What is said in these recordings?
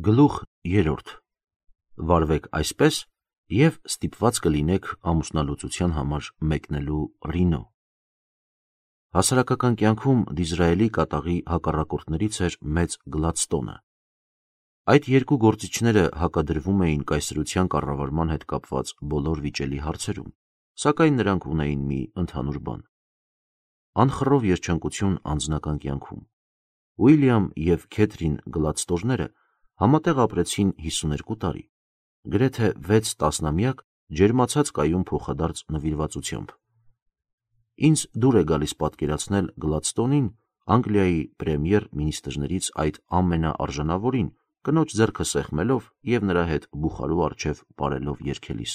Գլուխ 3. Վարվեք այսպես և ստիպված կլինեք ամուսնալուծության համար մեկնելու Ռինո։ Հասարակական կյանքում Դիզրայելի կատաղի հակառակորդներից էր մեծ Գլադստոնը։ Այդ երկու գործիչները հակադրվում էին կայսրության կառավարման հետ կապված բոլոր վիճելի հարցերում, սակայն նրանք ունեին մի ընդհանուր բան՝ անխռով երջանկություն անձնական կյանքում։ Ուիլյամ և Քեթրին Գլադստոնները համատեղ ապրեցին 52 տարի, գրեթե 6 տասնամյակ ջերմացած կայուն փոխադարձ նվիրվածությամբ։ Ինձ դուր է գալիս պատկերացնել Գլադստոնին Անգլիայի պրեմիեր մինիստրներից այդ ամենաարժանավորին կնոջ ձեռքը սեղմելով և նրա հետ բուխարու առջև պարելով երգելիս.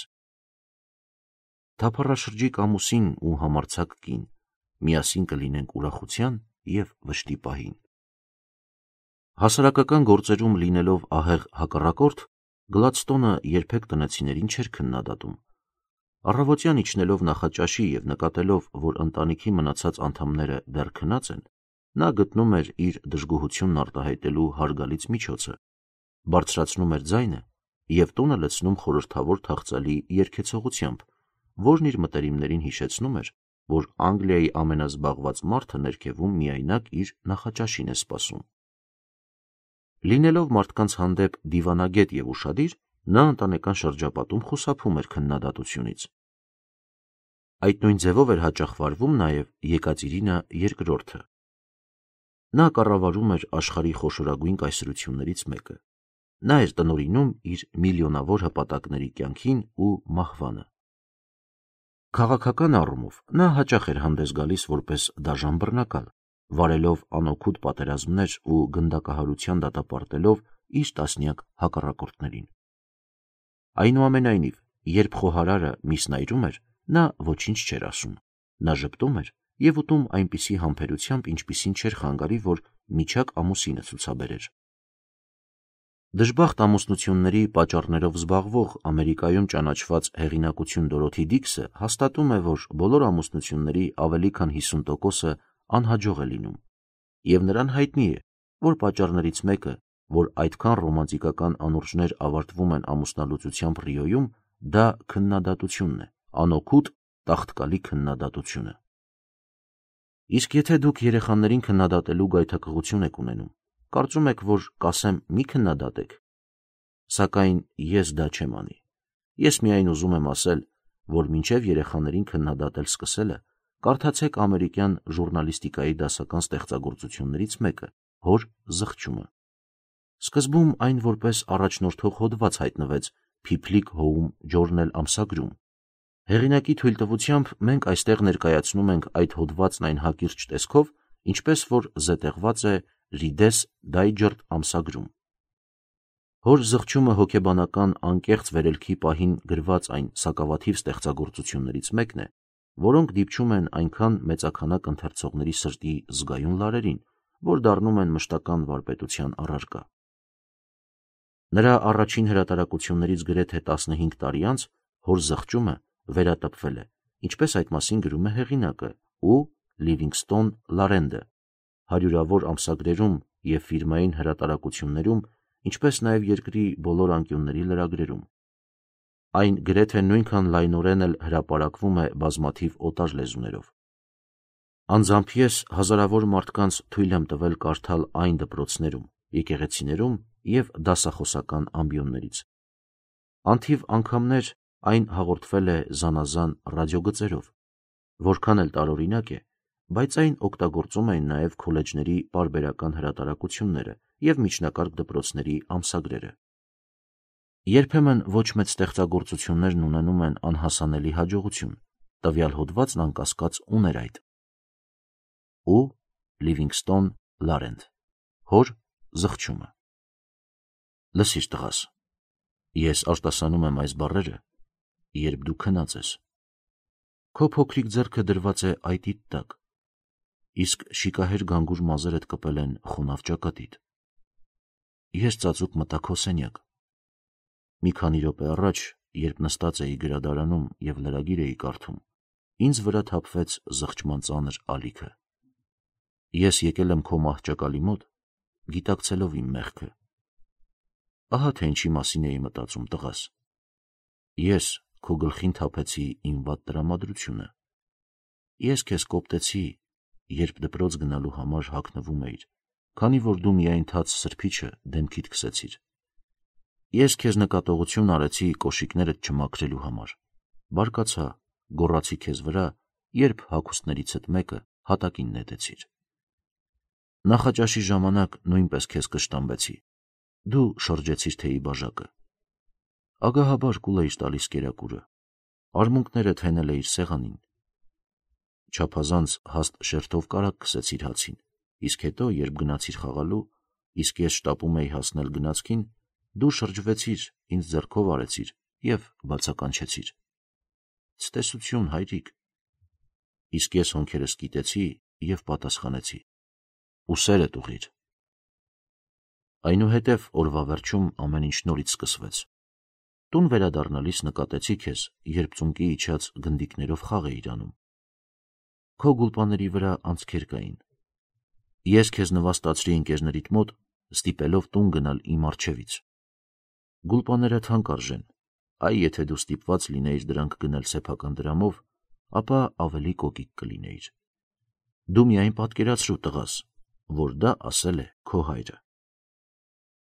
«Թափառաշրջիկ ամուսին ու համարձակ կին, միասին կլինենք ուրախության և վշտի պահին»։ Հասարակական գործերում լինելով ահեղ հակառակորդ, Գլադստոնը երբեք տնեցիներին չէր քննադատում։ Առավոտյան իջնելով նախաճաշի և նկատելով, որ ընտանիքի մնացած անդամները դեռ քնած են, նա գտնում էր իր դժգոհությունն արտահայտելու հարգալից միջոցը, բարձրացնում էր ձայնը և տունը լցնում խորհրդավոր թախծալի երգեցողությամբ, որն իր մտերիմներին հիշեցնում էր, որ Անգլիայի ամենազբաղված մարդը ներքևում միայնակ իր նախաճաշին է սպասում։ Լինելով մարդկանց հանդեպ դիվանագետ և ուշադիր, նա ընտանեկան շրջապատում խուսափում էր քննադատությունից։ Այդ նույն ձևով էր հաճախ վարվում նաև Եկատերինա II-ը։ Նա կառավարում էր աշխարհի խոշորագույն կայսրություններից մեկը։ Նա էր տնօրինում իր միլիոնավոր հպատակների կյանքին ու մահվանը։ Քաղաքական առումով նա հաճախ էր հանդես գալիս որպես դաժան բռնակալ, վարելով անօգուտ պատերազմներ ու գնդակահարության դատապարտելով իր տասնյակ հակառակորդներին։ Այնուամենայնիվ, երբ խոհարարը միսն այրում էր, նա ոչինչ չէր ասում։ Նա ժպտում էր և ուտում այնպիսի համբերությամբ, ինչպիսին չէր խանգարի, որ միջակ ամուսինը ցուցաբերեր։ Դժբախտ ամուսնությունների պատճառներով զբաղվող Ամերիկայում ճանաչված հեղինակություն Դորոթի Դիքսը հաստատում է, որ բոլոր ամուսնությունների ավելի քան 50%-ը անհաջող է լինում, և նրան հայտնի է, որ պատճառներից մեկը, որ այդքան ռոմանտիկական անուրջներ ավարտվում են ամուսնալուծությամբ Ռիոյում, դա քննադատությունն է, անօգուտ, տաղտկալի քննադատությունը։ Իսկ եթե դուք երեխաներին քննադատելու գայթակղություն եք ունենում, կարծում եք, որ կասեմ մի քննադատեք, սակայն ես դա չեմ անի։ Ես միայն ուզում եմ ասել, որ մինչև երեխաներին քննադատել սկսելը, կարդացեք ամերիկյան ժուռնալիստիկայի դասական ստեղծագործություններից մեկը՝ Հոր զղջումը։ Սկզբում այն որպես առաջնորդող հոդված հայտնվեց Փիփլիկ Հոում Ջորնել ամսագրում։ Հեղինակի թույլտվությամբ մենք այստեղ ներկայացնում ենք այդ հոդվածն այն հակիրճ տեսքով, ինչպես որ զետեղված է Reader's Digest ամսագրում։ Հոր զղջումը հոգեբանական անկեղծ վերելքի պահին գրված այն սակավաթիվ ստեղծագործություններից մեկն է, որոնք դիպչում են այնքան մեծաքանակ ընթերցողների սրտի զգայուն լարերին, որ դառնում են մշտական վարպետության առարկա։ Նրա առաջին հրատարակություններից գրեթե 15 տարի անց Հոր զղջումը վերատպվել է, ինչպես այդ մասին գրում է հեղինակը ու Լիվինգստոն Լարենդը հարյուրավոր ամսագրերում և ֆիրմային հրատարակություններում, ինչպես նաև երկրի բոլոր անկյունների լրագրերում։ Այն գրեթե նույնքան լայնորեն էլ հրապարակվում է բազմաթիվ օտար լեզուներով։ Անձամբ ես հազարավոր մարդկանց թույլ եմ տվել կարդալ այն դպրոցներում, եկեղեցիներում և դասախոսական ամբիոններից։ Անթիվ անգամներ այն հաղորդվել է զանազան ռադիոգծերով։ Որքան էլ տարօրինակ է, բայց այն օգտագործում էին նաև քոլեջների պարբերական հրատարակությունները և միջնակարգ դպրոցների ամսագրերը։ Երբեմն ոչ մեծ ստեղծագործություններն ունենում են անհասանելի հաջողություն, տվյալ հոդվածն անկասկած ուներ այդ։ Ու Լիվինգստոն Լարենդ Հոր զղջումը։ Լսիր տղաս, ես արտասանում եմ այս բառերը, երբ դու քնած ես։ Քո փոքրիկ ձեռքը դրված է այտիդ տակ, իսկ շիկահեր գանգուր մազերդ կպել են խոնավ ճակատիդ։ Ես ծածուկ մտա քո սենյակ։ Մի քանի րոպե առաջ, երբ նստած էի գրադարանում և լրագիր էի կարդում, ինձ վրա թափվեց զղջման ծանր ալիքը։ Ես եկել եմ քո մահճակալի մոտ, գիտակցելով իմ մեղքը։ Ահա թե ինչի մասին էի մտածում, տղաս։ Ես քո գլխին թափեցի իմ վատ տրամադրությունը։ Ես քեզ կոպտեցի, երբ դպրոց գնալու համար հագնվում էիր, քանի որ դու միայն թաց սրբիչը դեմքիդ քսեցիր։ Ես քեզ նկատողություն արեցի կոշիկներդ չմաքրելու համար։ Բարկացա, գոռացի քեզ վրա, երբ հագուստներիցդ մեկը հատակին նետեցիր։ Նախաճաշի ժամանակ նույնպես քեզ կշտամբեցի։ Դու շրջեցիր թեյի բաժակը։ Ագահաբար կուլ էիր տալիս կերակուրը, արմունկներդ հենել էիր սեղանին։ Չափազանց հաստ շերտով կարակ քսեցիր հացին, իսկ հետո, երբ գնացիր խաղալու, իսկ ես շտապում էի հասնել գնացքին, դու շրջվեցիր, ինձ ձեռքով արեցիր և բացականչեցիր. «Ցտեսություն, հայրիկ»։ Իսկ ես հոնքերս կիտեցի և պատասխանեցի. «Ուսերդ ուղղիր»։ Այնուհետև օրվա վերջում ամեն ինչ նորից սկսվեց։ Տուն վերադառնալիս նկատեցի քեզ, երբ ծունկի իջած գնդիկներով խաղ էիր անում։ Քո գուլպաների վրա անցքեր կային։ Ես քեզ նվաստացրի ընկերներիդ մոտ, ստիպելով տուն գնալ իմ առջևից։ Գուլպաները թանկ արժեն, այ եթե դու ստիպված լինեիր դրանք գնել սեփական դրամով, ապա ավելի կոկիկ կլինեիր։ Դու միայն պատկերացրու, տղաս, որ դա ասել է քո հայրը։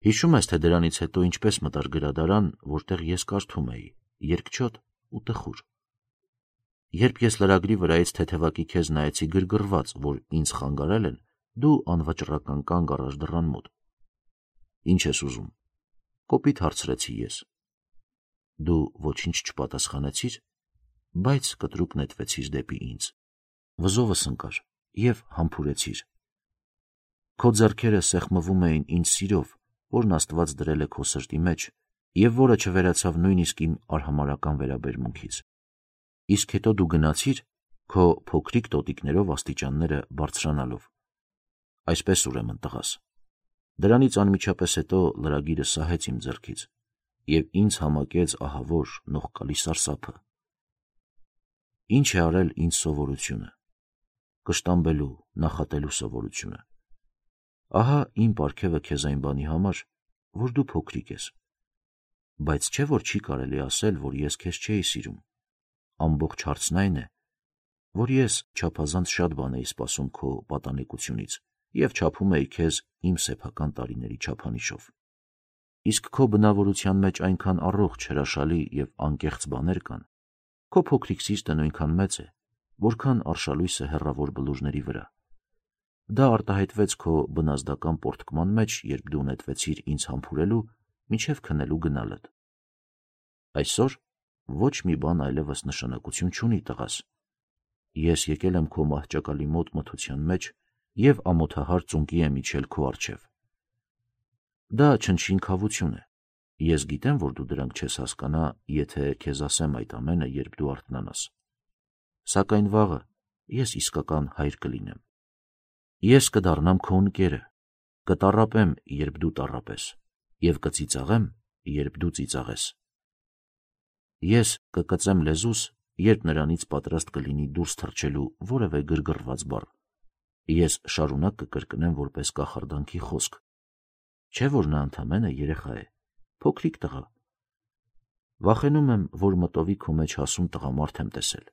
Հիշում ես, թե դրանից հետո ինչպես մտար գրադարան, որտեղ ես կարդում էի, երկչոտ ու տխուր։ Երբ ես լրագրի վրայից թեթևակի քեզ նայեցի գրգռված, որ ինձ խանգարել են, դու անվճռական կանգ առար դռան մոտ։ Ինչ ես ուզում, կոպիտ հարցրեցի ես։ Դու ոչինչ չպատասխանեցիր, բայց կտրուկ նետվեցիր դեպի ինձ։ Վզովս ընկար և համբուրեցիր։ Քո ձեռքերը սեղմվում էին ինձ սիրով, որն Աստված դրել է քո սրտի մեջ և որը չվերացավ նույնիսկ իմ արհամարհական վերաբերմունքից։ Իսկ հետո դու գնացիր, քո փոքրիկ տոտիկներով աստիճանները բարձրանալով։ Այսպես ուրեմն, տղաս։ Դրանից անմիջապես հետո լրագիրը սահեց իմ ձեռքից և ինձ համակեց ահավոր նողկալի սարսափը։ Ինչ է արել ինձ սովորությունը։ Կշտամբելու, նախատելու սովորությունը։ Ահա իմ պարգևը քեզ այն բանի համար, որ դու փոքրիկ ես։ Բայց չէ՞ որ չի կարելի ասել, որ ես քեզ չէի սիրում։ Ամբողջ հարցն այն է, որ ես չափազանց շատ բան էի սպասում քո պատանեկությունից և չափում էի քեզ իմ սեփական տարիների չափանիշով։ Իսկ քո բնավորության մեջ այնքան առողջ, հրաշալի և անկեղծ բաներ կան, քո փոքրիկ սիրտը նույնքան մեծ է, որքան արշալույսը հեռավոր բլուրների վրա։ Դա արտահայտվեց քո բնազդական պոռթկման մեջ, երբ դու նետվեցիր ինձ համբուրելու, մինչև քնելու գնալդ։ Այսօր ոչ մի բան այլևս նշանակություն չունի, տղաս։ Ես եկել եմ քո մահճակալի մոտ մթության մեջ և ամոթահար ծունկի եմ իջել քո առջև։ Դա չնչին քավություն է։ Ես գիտեմ, որ դու դրանք չես հասկանա, եթե քեզ ասեմ այդ ամենը, երբ դու արթնանաս։ Սակայն վաղը ես իսկական հայր կլինեմ։ Ես կդառնամ քո ընկերը, կտառապեմ, երբ դու տառապես, և կծիծաղեմ, երբ դու ծիծաղես։ Ես կկծեմ լեզուս, երբ նրանից պատրաստ կլինի դուրս թռչելու որևէ գրգռված բառ։ Ես շարունակ կկրկնեմ որպես կախարդանքի խոսք։ Չէ՞ որ նա ընդամենը երեխա է, փոքրիկ տղա։ Վախենում եմ, որ մտովի քո մեջ հասուն տղամարդ եմ տեսել։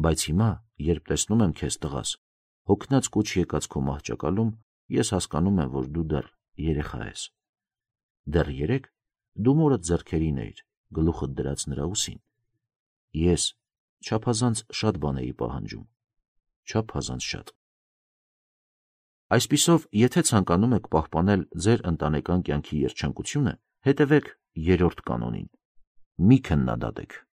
Բայց հիմա, երբ տեսնում եմ քեզ, տղաս, հոգնած կուչ եկած քո մահճակալում, ես հասկանում եմ, որ դու դեռ երեխա ես։ Դեռ երեկ դու մորդ ձեռքերին էիր, գլուխդ դրած նրա ուսին։ Ես չափազանց շատ բան էի պահանջում, չափազանց շատ։ Այսպիսով, եթե ցանկանում եք պահպանել ձեր ընտանեկան կյանքի երջանկությունը, հետևեք երրորդ կանոնին՝ մի քննադատեք։